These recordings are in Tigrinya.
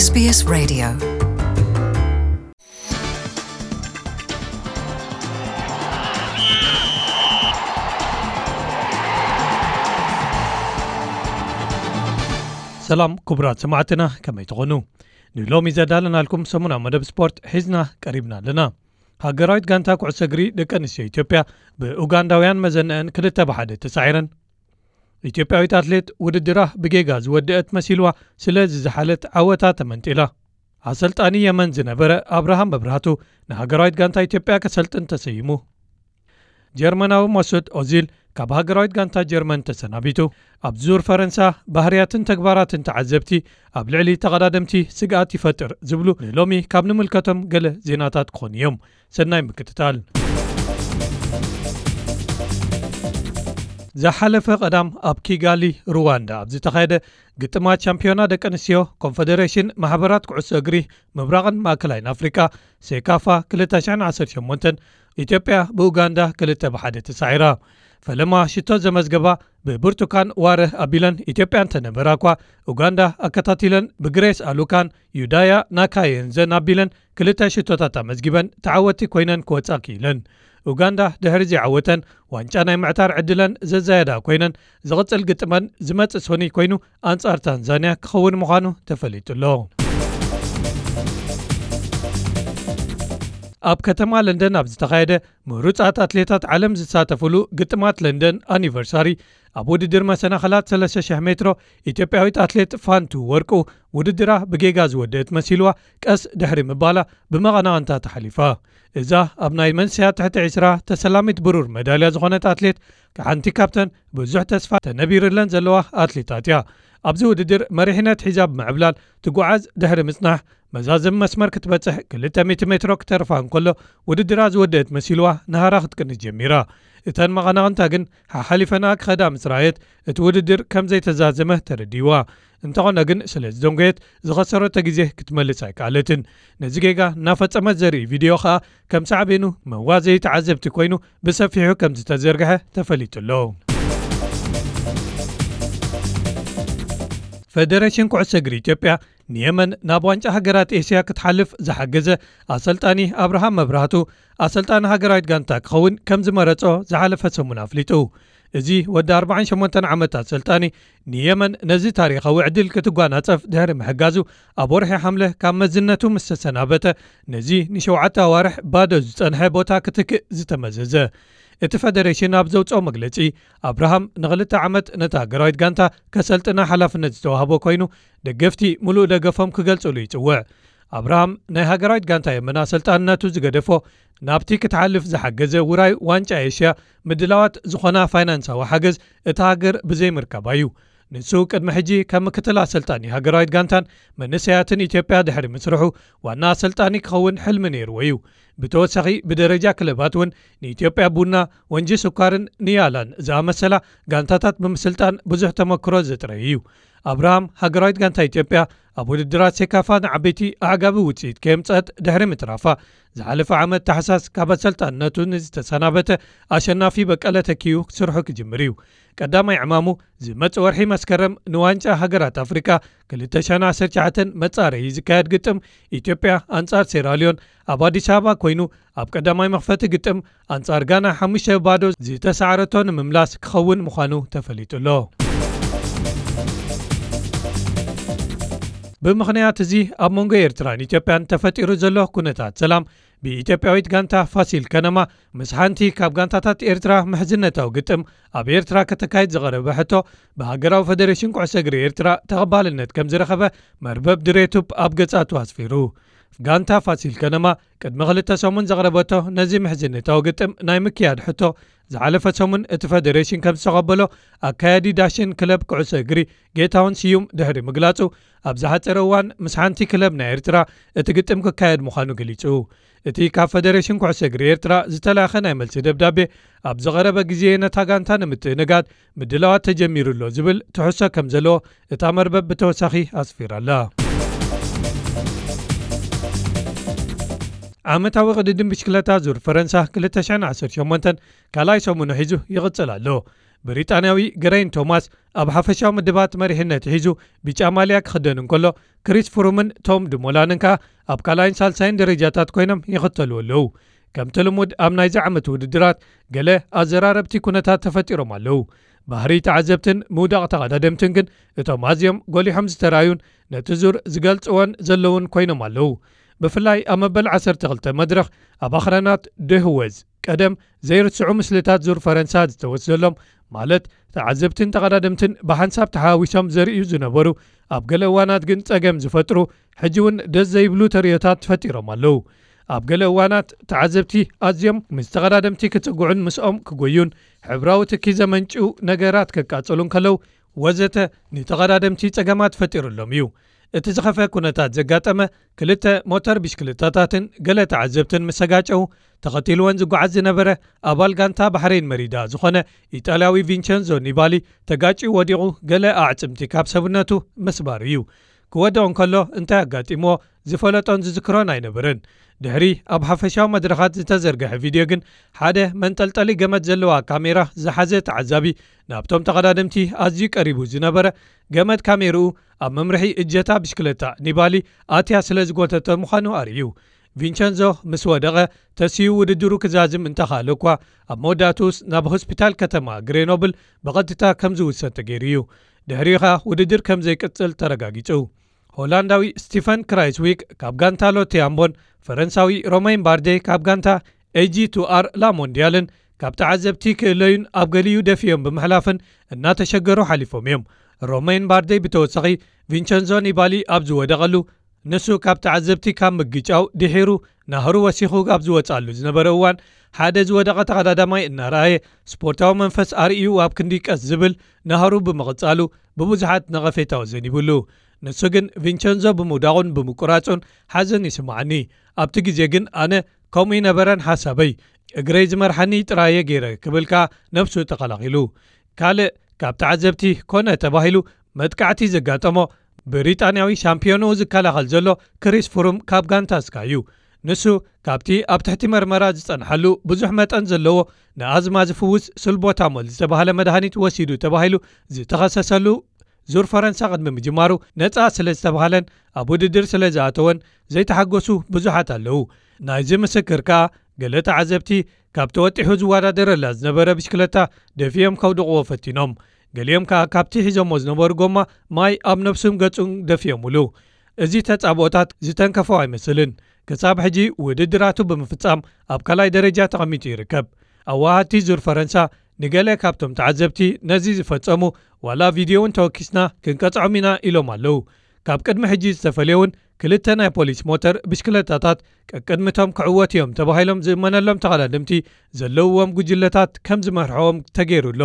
S B S Radio. ሰላም ክቡራት ሰማዕትና፣ ከመይ ትኾኑ? ንሎሚ ዘዳለናልኩም ሰሙናዊ መደብ ስፖርት ሒዝና ቀሪብና ኣለና። ሃገራዊት ጋንታ ኩዕሶ እግሪ ደቂ ኣንስትዮ ኢትዮጵያ ብኡጋንዳውያን መዘነአን ክልተ ብሓደ ተሳዒረን። ኢትዮጵያዊት ኣትሌት ውድድራ ብጌጋ ዝወደአት መሲልዋ፣ ስለዚ ዝሓለት ዓወታ ተመንጢላ። ኣሰልጣኒ የመን ዝነበረ ኣብርሃም መብራህቱ ንሃገራዊት ጋንታ ኢትዮጵያ ከሰልጥን ተሰይሙ። ጀርመናዊ መሱድ ኦዚል ካብ ሃገራዊት ጋንታ ጀርመን ተሰናቢቱ። ኣብ ዙር ፈረንሳ ባህርያትን ተግባራትን ተዓዘብቲ ኣብ ልዕሊ ተቐዳደምቲ ስግኣት ይፈጥር ዝብሉ ንሎሚ ካብ ንምልከቶም ገለ ዜናታት ክኾኑ እዮም። ሰናይ ምክትታል። ዝሓለፈ ቀዳም ኣብ ኪጋሊ ሩዋንዳ ኣብ ዝተኻየደ ግጥማት ሻምፒዮና ደቂ ኣንስትዮ ኮንፈደሬሽን ማሕበራት ኩዕሶ እግሪ ምብራቕን ማእከላይን ኣፍሪቃ፣ ሴካፋ፣ ክልተ ሽሕን ዓሰርተ ሸሞንተን፣ ኢትዮጵያ ብኡጋንዳ ክልተ ብሓደ ተሳዒራ። ፈለማ ሽቶ ዘመዝገባ ብብርቱካን ዋረህ ኣቢለን ኢትዮጵያ እንተነበራ እኳ፣ ኡጋንዳ ኣከታቲለን ብግሬስ ኣሉካን ዩዳያ ናካየንዘን ኣቢለን ክልተ ሽቶታት ኣመዝጊበን ተዓወቲ ኮይነን ክወጻ ክኢለን። ኡጋንዳ ድሕሪ ዘይዓወተን ዋንጫ ናይ ምዕታር ዕድለን ዘዛየዳ ኮይነን፣ ዝቕጽል ግጥመን ዝመጽእ ሶኒ ኮይኑ ኣንጻር ታንዛንያ ክኸውን ምዃኑ ተፈሊጡ ኣሎ። ኣብ ከተማ ለንደን ኣብ ዝተኻየደ ምሩጻት ኣትሌታት ዓለም ዝሳተፍሉ ግጥማት ለንደን ኣኒቨርሳሪ፣ ኣብ ውድድር መሰናኸላት ሰለስተ ሽሕ ሜትሮ፣ ኢትዮጵያዊት ኣትሌት ፋንቱ ወርቁ ውድድራ ብጌጋ ዝወደአት መሲልዋ፣ ቀስ ድሕሪ ምባላ ብመቐናቕንታ ተሓሊፋ። እዛ ኣብ ናይ መንስያ ትሕቲ ዕስራ ተሰላሚት ብሩር መዳልያ ዝኾነት ኣትሌት፣ ሓንቲ ካብተን ብዙሕ ተስፋ ተነቢርለን ዘለዋ ኣትሌታት እያ። ኣብዚ ውድድር መሪሕነት ሒዛ ብምዕብላል ትጓዓዝ ድሕሪ ምጽናሕ፣ መዛዘሚ መስመር ክትበጽሕ ክልተ ሚእቲ ሜትሮ ክተርፋ እንከሎ፣ ውድድራ ዝወደአት መሲልዋ ንሃራ ክትቅንስ ጀሚራ። እተን መቐናቕንታ ግን ሓሓሊፈና ክኸዳ ምስ ረኣየት፣ እቲ ውድድር ከም ዘይተዛዘመ ተረዲእዋ። እንተኾነ ግን፣ ስለ ዝደንጎየት፣ ዝኸሰረቶ ግዜ ክትመልስ ኣይከኣለትን። ነዚ ጌጋ እናፈጸመት ዘርኢ ቪድዮ ከኣ ከም ሳዕቤኑ መዋዘዪ ተዓዘብቲ ኮይኑ ብሰፊሑ ከም ዝተዘርግሐ ተፈሊጡ ኣሎ። ፈደሬሽን ኩዕሶ እግሪ ኢትዮጵያ ንየመን ናብ ዋንጫ ሃገራት ኤስያ ክትሓልፍ ዝሓገዘ ኣሰልጣኒ ኣብርሃም መብራህቱ ኣሰልጣኒ ሃገራዊት ጋንታ ክኸውን ከም ዝመረጾ ዝሓለፈ ሰሙን ኣፍሊጡ። እዚ ወዲ ኣርባዓን ሸሞንተን ዓመት ኣሰልጣኒ ንየመን ነዚ ታሪኻዊ ዕድል ክትጓናጸፍ ድሕሪ ምሕጋዙ፣ ኣብ ወርሒ ሓምለ ካብ መዝነቱ ምስ ተሰናበተ፣ ነዚ ንሸውዓተ ኣዋርሕ ባዶ ዝጸንሐ ቦታ ክትክእ ዝተመዘዘ። እቲ ፈደሬሽን ኣብ ዘውጽኦ መግለጺ፣ ኣብርሃም ንኽልተ ዓመት ነታ ሃገራዊት ጋንታ ከሰልጥና ሓላፍነት ዝተዋህቦ ኮይኑ፣ ደገፍቲ ምሉእ ደገፎም ክገልጽሉ ይጽውዕ። ኣብርሃም ናይ ሃገራዊት ጋንታ የመን ኣሰልጣንነቱ ዝገደፎ፣ ናብቲ ክትሓልፍ ዝሓገዘ ውራይ ዋንጫ ኤሽያ ምድላዋት ዝኾና ፋይናንሳዊ ሓገዝ እታ ሃገር ብዘይምርካባ እዩ። ንሱ ቅድሚ ሕጂ ከም ምክትል ኣሰልጣኒ ሃገራዊት ጋንታን መንእሰያትን ኢትዮጵያ ድሕሪ ምስርሑ፣ ዋና ኣሰልጣኒ ክኸውን ሕልሚ ነይርዎ እዩ። ብተወሳኺ፣ ብደረጃ ክለባት እውን ንኢትዮጵያ ቡና፣ ወንጂ ስኳርን ንያላን ዝኣመሰላ ጋንታታት ብምስልጣን ብዙሕ ተመክሮ ዘጥረየ እዩ። ኣብርሃም፣ ሃገራዊት ጋንታ ኢትዮጵያ ኣብ ውድድራት ሴካፋ ንዓበይቲ ኣዕጋቢ ውጽኢት ከየምጸት ድሕሪ ምትራፋ፣ ዝሓለፈ ዓመት ታሕሳስ ካብ ኣሰልጣንነቱ ንዝተሰናበተ ኣሸናፊ በቀለ ተኪኡ ስርሑ ክጅምር እዩ። ቀዳማይ ዕማሙ ዝመጽእ ወርሒ መስከረም ንዋንጫ ሃገራት ኣፍሪቃ ክልተ ሽሕን ዓሰርተ ትሽዓተን መጻረዪ ዝካየድ ግጥም ኢትዮጵያ ኣንጻር ሴራልዮን ኣብ ኣዲስ ኣበባ ኮይኑ፣ ኣብ ቀዳማይ መኽፈቲ ግጥም ኣንጻር ጋና ሓሙሽተ ባዶ ዝተሳዕረቶ ንምምላስ ክኸውን ምዃኑ ተፈሊጡ ኣሎ። ብምኽንያት እዚ፣ ኣብ መንጎ ኤርትራን ኢትዮጵያን ተፈጢሩ ዘሎ ኩነታት ሰላም፣ ብኢትዮጵያዊት ጋንታ ፋሲል ከነማ ምስ ሓንቲ ካብ ጋንታታት ኤርትራ ምሕዝነታዊ ግጥም ኣብ ኤርትራ ከተካይድ ዝቐረበ ሕቶ፣ ብሃገራዊ ፈደሬሽን ኩዕሶ እግሪ ኤርትራ ተቐባልነት ከም ዝረኸበ መርበብ ድሬቱፕ ኣብ ገጻቱ ኣስፊሩ። ጋንታ ፋሲል ከነማ ቅድሚ ክልተ ሰሙን ዘቕረበቶ ነዚ ምሕዝነታዊ ግጥም ናይ ምክያድ ሕቶ፣ ዝሓለፈ ሰሙን እቲ ፈደሬሽን ከም ዝተቐበሎ ኣካያዲ ዳሽን ክለብ ኩዕሶ እግሪ ጌታሁን ስዩም ድሕሪ ምግላጹ፣ ኣብ ዝሓጸረ እዋን ምስ ሓንቲ ክለብ ናይ ኤርትራ እቲ ግጥም ክካየድ ምዃኑ ገሊጹ። እቲ ካብ ፈደሬሽን ኩዕሶ እግሪ ኤርትራ ዝተላእኸ ናይ መልሲ ደብዳቤ፣ ኣብ ዝቐረበ ግዜ ነታ ጋንታ ንምትእንጋድ ምድላዋት ተጀሚሩ ኣሎ ዝብል ትሕዝቶ ከም ዘለዎ እታ መርበብ ብተወሳኺ ኣስፊራ ኣላ። ዓመታዊ ቅድድም ብሽክለታ ዙር ፈረንሳ ክልተ ሽሕን ዓሰርተ ሸሞንተን ካልኣይ ሰሙኑ ሒዙ ይቕጽል ኣሎ። ብሪጣንያዊ ገረይን ቶማስ ኣብ ሓፈሻዊ ምድባት መሪሕነት ሒዙ ቢጫ ማልያ ክኽደን እንከሎ፣ ክሪስ ፍሩምን ቶም ድሞላንን ከኣ ኣብ ካልኣይን ሳልሳይን ደረጃታት ኮይኖም ይኽተልዎ ኣለዉ። ከምቲ ልሙድ ኣብ ናይዚ ዓመት ውድድራት፣ ገለ ኣዘራረብቲ ኩነታት ተፈጢሮም ኣለዉ። ባህሪ ተዓዘብትን ምውዳቕ ተቐዳደምትን ግን እቶም ኣዝዮም ጎሊሖም ዝተራእዩን ነቲ ዙር ዝገልጽዎን ዘለዉን ኮይኖም ኣለዉ። ብፍላይ ኣብ መበል ዓሰርተ ክልተ መድረኽ ኣብ ኣኽራናት ደህወዝ ቀደም ዘይርስዑ ምስልታት ዙር ፈረንሳ ዝተወስደሎም፣ ማለት ተዓዘብትን ተቐዳደምትን ብሓንሳብ ተሓዋዊሶም ዘርእዩ ዝነበሩ፣ ኣብ ገለ እዋናት ግን ጸገም ዝፈጥሩ፣ ሕጂ እውን ደስ ዘይብሉ ተርእዮታት ተፈጢሮም ኣለዉ። ኣብ ገለ እዋናት ተዓዘብቲ ኣዝዮም ምስ ተቐዳደምቲ ክጽግዑን ምስኦም ክጎዩን፣ ሕብራዊ ትኪ ዘመንጭው ነገራት ከቃጽሉ እንከለዉ፣ ወዘተ፣ ንተቐዳደምቲ ጸገማት ፈጢሩሎም እዩ። እቲ ዝኸፈ ኩነታት ዘጋጠመ፣ ክልተ ሞተር ብሽክለታታትን ገለ ተዓዘብትን ምስ ተጋጨው፣ ተኸቲልወን ዝጓዓዝ ዝነበረ ኣባል ጋንታ ባሕሬን መሪዳ ዝኾነ ኢጣልያዊ ቪንቸንዞ ኒባሊ ተጋጭዩ ወዲቑ፣ ገለ ኣዕጽምቲ ካብ ሰብነቱ ምስባር እዩ። ክወድቕ እንከሎ እንታይ ኣጋጢምዎ ዝፈለጦን ዝዝክሮን ኣይነበረን። ድሕሪ ኣብ ሓፈሻዊ መድረኻት ዝተዘርግሐ ቪድዮ ግን፣ ሓደ መንጠልጠሊ ገመድ ዘለዋ ካሜራ ዝሓዘ ተዓዛቢ ናብቶም ተቐዳደምቲ ኣዝዩ ቀሪቡ ዝነበረ ገመድ ካሜርኡ ኣብ መምርሒ እጀታ ብሽክለታ ኒባሊ ኣትያ ስለ ዝጎተተ ምዃኑ ኣርእዩ። ቪንቸንዞ ምስ ወደቐ ተስዩ ውድድሩ ክዛዝም እንተኻእለ እኳ፣ ኣብ መወዳእትኡስ ናብ ሆስፒታል ከተማ ግሬኖብል ብቐጥታ ከም ዝውሰድ ተገይሩ እዩ። ድሕሪኡ ኸኣ ውድድር ከም ዘይቅጽል ተረጋጊጹ። ሆላንዳዊ ስቲፈን ክራይስዊክ ካብ ጋንታ ሎቴ ኣምቦን ፈረንሳዊ ሮማይን ባርዴ ካብ ጋንታ ኤጂ ቱ ኣር ላሞንዲያልን ካብ ተዓዘብቲ ክእለዩን ኣብ ገሊኡ ደፊኦም ብምሕላፍን እናተሸገሩ ሓሊፎም እዮም። ሮማይን ባርዴ ብተወሳኺ ቪንቸንዞ ኒባሊ ኣብ ዝወደቐሉ፣ ንሱ ካብ ተዓዘብቲ ካብ ምግጫው ድሒሩ ናህሩ ወሲኹ ኣብ ዝወጻሉ ዝነበረ እዋን፣ ሓደ ዝወደቐ ተቐዳዳማይ እናረኣየ፣ ስፖርታዊ መንፈስ ኣርእዩ ኣብ ክንዲ ቀስ ዝብል ናህሩ ብምቕጻሉ ብብዙሓት ነቐፌታዊ ዘኒብሉ። ንሱ ግን ቪንቸንዞ ብምውዳቑን ብምቁራጹን ሓዘን ይስምዓኒ። ኣብቲ ግዜ ግን ኣነ ከምኡ ይነበረን ሓሳበይ። እግረይ ዝመርሓኒ ጥራየ ገይረ ክብል ከኣ ነብሱ ተኸላኺሉ። ካልእ ካብ ተዓዘብቲ ኮነ ተባሂሉ መጥቃዕቲ ዘጋጠሞ ብሪጣንያዊ ሻምፒዮንኡ ዝከላኸል ዘሎ ክሪስ ፍሩም ካብ ጋንታ ስካይ እዩ። ንሱ ካብቲ ኣብ ትሕቲ መርመራ ዝጸንሓሉ ብዙሕ መጠን ዘለዎ ንኣዝማ ዝፍውስ ስልቦታሞል ዝተባህለ መድሃኒት ወሲዱ ተባሂሉ ዝተኸሰሰሉ ዙር ፈረንሳ ቅድሚ ምጅማሩ ነጻ ስለ ዝተባህለን ኣብ ውድድር ስለ ዝኣተወን ዘይተሓጎሱ ብዙሓት ኣለዉ። ናይዚ ምስክር ከኣ ገለ ተዓዘብቲ ካብ ተወጢሑ ዝወዳደረላ ዝነበረ ብሽክለታ ደፊኦም ከውድቕዎ ፈቲኖም። ገሊኦም ከኣ ካብቲ ሒዞሞ ዝነበሩ ጎማ ማይ ኣብ ነብሱን ገጹን ደፊኦምሉ። እዚ ተጻብኦታት ዝተንከፎ ኣይመስልን። ክሳብ ሕጂ ውድድራቱ ብምፍጻም ኣብ ካልኣይ ደረጃ ተቐሚጡ ይርከብ። ኣዋሃድቲ ዙር ፈረንሳ ንገለ ካብቶም ተዓዘብቲ ነዚ ዝፈጸሙ ዋላ ቪድዮ እውን ተወኪስና ክንቀጽዖም ኢና ኢሎም ኣለዉ። ካብ ቅድሚ ሕጂ ዝተፈልየ እውን ክልተ ናይ ፖሊስ ሞተር ብሽክለታታት ቀቅድሚቶም ክዕወት እዮም ተባሂሎም ዝእመነሎም ተቐዳደምቲ ዘለውዎም ጉጅለታት ከም ዝመርሕዎም ተገይሩ ኣሎ።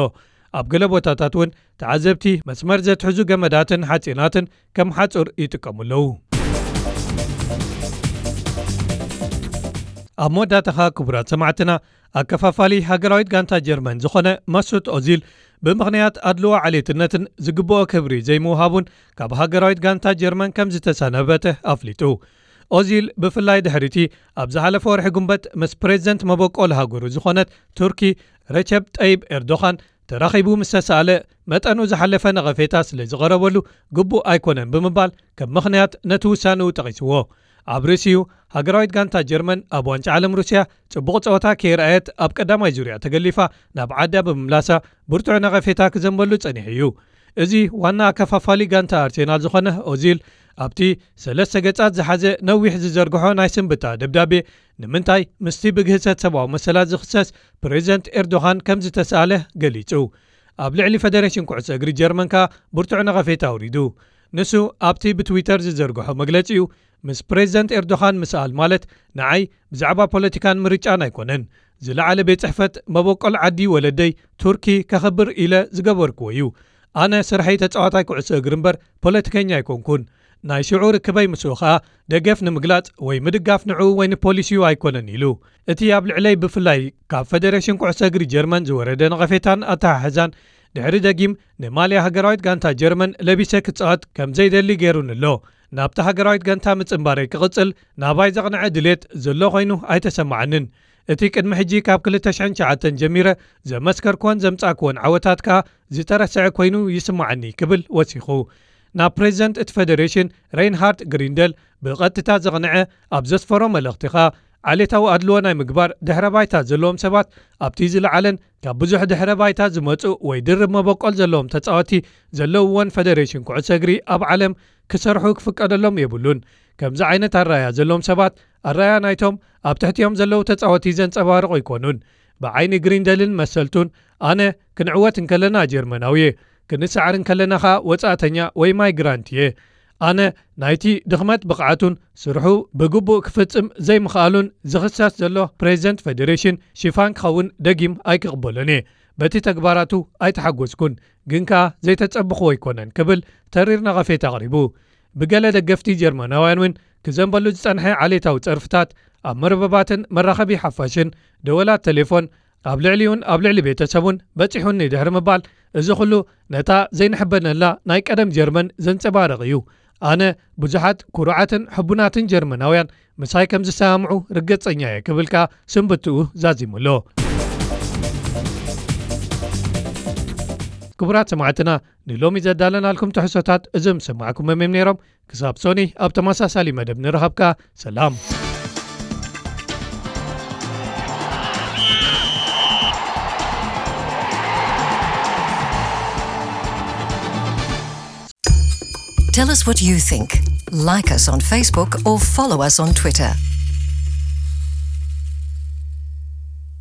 ኣብ ገለ ቦታታት እውን ተዓዘብቲ መስመር ዘትሕዙ ገመዳትን ሓጺናትን ከም ሓጹር ይጥቀሙ ኣለዉ። ኣብ መወዳእታኻ ክቡራት ሰማዕትና፣ ኣከፋፋሊ ሃገራዊት ጋንታ ጀርመን ዝኾነ መሱት ኦዚል ብምኽንያት ኣድልዎ ዓሌትነትን ዝግብኦ ክብሪ ዘይምውሃቡን ካብ ሃገራዊት ጋንታ ጀርመን ከም ዝተሰናበተ ኣፍሊጡ። ኦዚል ብፍላይ ድሕሪቲ ኣብ ዝሓለፈ ወርሒ ጉንበት ምስ ፕሬዝደንት መበቆል ሃገሩ ዝኾነት ቱርኪ ረቸብ ጠይብ ኤርዶኻን ተራኺቡ ምስ ተሳእለ፣ መጠኑ ዝሓለፈ ነቐፌታ ስለ ዝቐረበሉ ግቡእ ኣይኮነን ብምባል ከም ምኽንያት ነቲ ውሳንኡ ጠቒስዎ። ኣብ ርእሲኡ፣ ሃገራዊት ጋንታ ጀርመን ኣብ ዋንጫ ዓለም ሩስያ ጽቡቕ ጸወታ ከየርኣየት ኣብ ቀዳማይ ዙርያ ተገሊፋ ናብ ዓዳ ብምምላሳ ብርቱዕ ነቐፌታ ክዘንበሉ ጸኒሑ እዩ። እዚ ዋና ኣከፋፋሊ ጋንታ ኣርሴናል ዝኾነ ኦዚል ኣብቲ ሰለስተ ገጻት ዝሓዘ ነዊሕ ዝዘርግሖ ናይ ስንብታ ደብዳቤ ንምንታይ ምስቲ ብግህሰት ሰብኣዊ መሰላት ዝኽሰስ ፕሬዝደንት ኤርዶኻን ከም ዝተሳእለ ገሊጹ። ኣብ ልዕሊ ፈደሬሽን ኩዕሶ እግሪ ጀርመን ከኣ ብርቱዕ ነቐፌታ ኣውሪዱ። ንሱ ኣብቲ ብትዊተር ዝዘርግሖ መግለጺኡ፣ ምስ ፕሬዝደንት ኤርዶኻን ምስኣል ማለት ንዓይ ብዛዕባ ፖለቲካን ምርጫን ኣይኮነን። ዝለዓለ ቤት ጽሕፈት መበቆል ዓዲ ወለደይ ቱርኪ ከኽብር ኢለ ዝገበርክዎ እዩ። ኣነ ስርሐይ ተጻዋታይ ኩዕሶ እግሪ እምበር ፖለቲከኛ ኣይኮንኩን። ናይ ሽዑ ርክበይ ምስኡ ኸኣ ደገፍ ንምግላጽ ወይ ምድጋፍ ንዕኡ ወይ ንፖሊሲኡ ኣይኮነን ኢሉ። እቲ ኣብ ልዕለይ ብፍላይ ካብ ፈደሬሽን ኩዕሶ እግሪ ጀርመን ዝወረደ ነቐፌታን ኣተሓሕዛን ድሕሪ ደጊም ንማልያ ሃገራዊት ጋንታ ጀርመን ለቢሰ ክጻወት ከም ዘይደሊ ገይሩኒ ኣሎ። ናብታ ሃገራዊት ጋንታ ምጽንባረይ ክቕጽል ናባይ ዘቕንዐ ድሌት ዘሎ ኮይኑ ኣይተሰማዓንን። እቲ ቅድሚ ሕጂ ካብ ክልተ ሽሕን ትሽዓተን ጀሚረ ዘመስከርኩዎን ዘምጻእኩዎን ዓወታት ከኣ ዝተረስዐ ኮይኑ ይስምዓኒ ክብል ወሲኹ። ናብ ፕሬዚደንት እቲ ፌደሬሽን ሬይንሃርድ ግሪንደል ብቐጥታ ዘቕንዐ ኣብ ዘስፈሮ መልእኽቲ ከኣ ዓሌታዊ ኣድልዎ ናይ ምግባር ድሕረ ባይታ ዘለዎም ሰባት ኣብቲ ዝለዓለን ካብ ብዙሕ ድሕረ ባይታ ዝመጹ ወይ ድርብ መበቆል ዘለዎም ተጻወቲ ዘለውዎን ፌደሬሽን ኩዕሶ እግሪ ኣብ ዓለም ክሰርሑ ክፍቀደሎም የብሉን። ከምዚ ዓይነት ኣራያ ዘለዎም ሰባት ኣራያ ናይቶም ኣብ ትሕቲኦም ዘለዉ ተጻወቲ ዘንጸባርቑ ኣይኮኑን። ብዓይኒ ግሪንደልን መሰልቱን ኣነ ክንዕወት እንከለና ጀርመናዊ እየ፣ ክንሰዓር እንከለና ኸኣ ወጻእተኛ ወይ ማይግራንት እየ። ኣነ ናይቲ ድኽመት ብቕዓቱን ስርሑ ብግቡእ ክፍጽም ዘይምኽኣሉን ዝኽሰስ ዘሎ ፕሬዚደንት ፌደሬሽን ሽፋን ክኸውን ደጊም ኣይክቕበሎን እየ። በቲ ተግባራቱ ኣይተሓጎስኩን፣ ግን ከኣ ዘይተጸብኽዎ ኣይኮነን ክብል ተሪር ነቐፌታ ኣቕሪቡ። ብገለ ደገፍቲ ጀርመናውያን እውን ክዘንበሉ ዝጸንሐ ዓሌታዊ ጸርፍታት ኣብ መርበባትን መራኸቢ ሓፋሽን ደወላት ቴሌፎን ኣብ ልዕሊኡን ኣብ ልዕሊ ቤተሰቡን በጺሑኒ ድሕሪ ምባል፣ እዚ ኩሉ ነታ ዘይንሕበነላ ናይ ቀደም ጀርመን ዘንጸባርቕ እዩ። ኣነ ብዙሓት ኩሩዓትን ሕቡናትን ጀርመናውያን ምሳይ ከም ዝሰማምዑ ርግጸኛ እየ ክብል ከኣ ስንብትኡ ዛዚሙ ኣሎ። ክቡራት ሰማዕትና፣ ንሎሚ ዘዳለናልኩም ትሕዝቶታት እዞም ዝሰማዕኩሞም እዮም ነይሮም። ክሳብ ሶኒ ኣብ ተመሳሳሊ መደብ ንረኸብካ። ሰላም። Tell us what you think. Like us on Facebook or follow us on Twitter.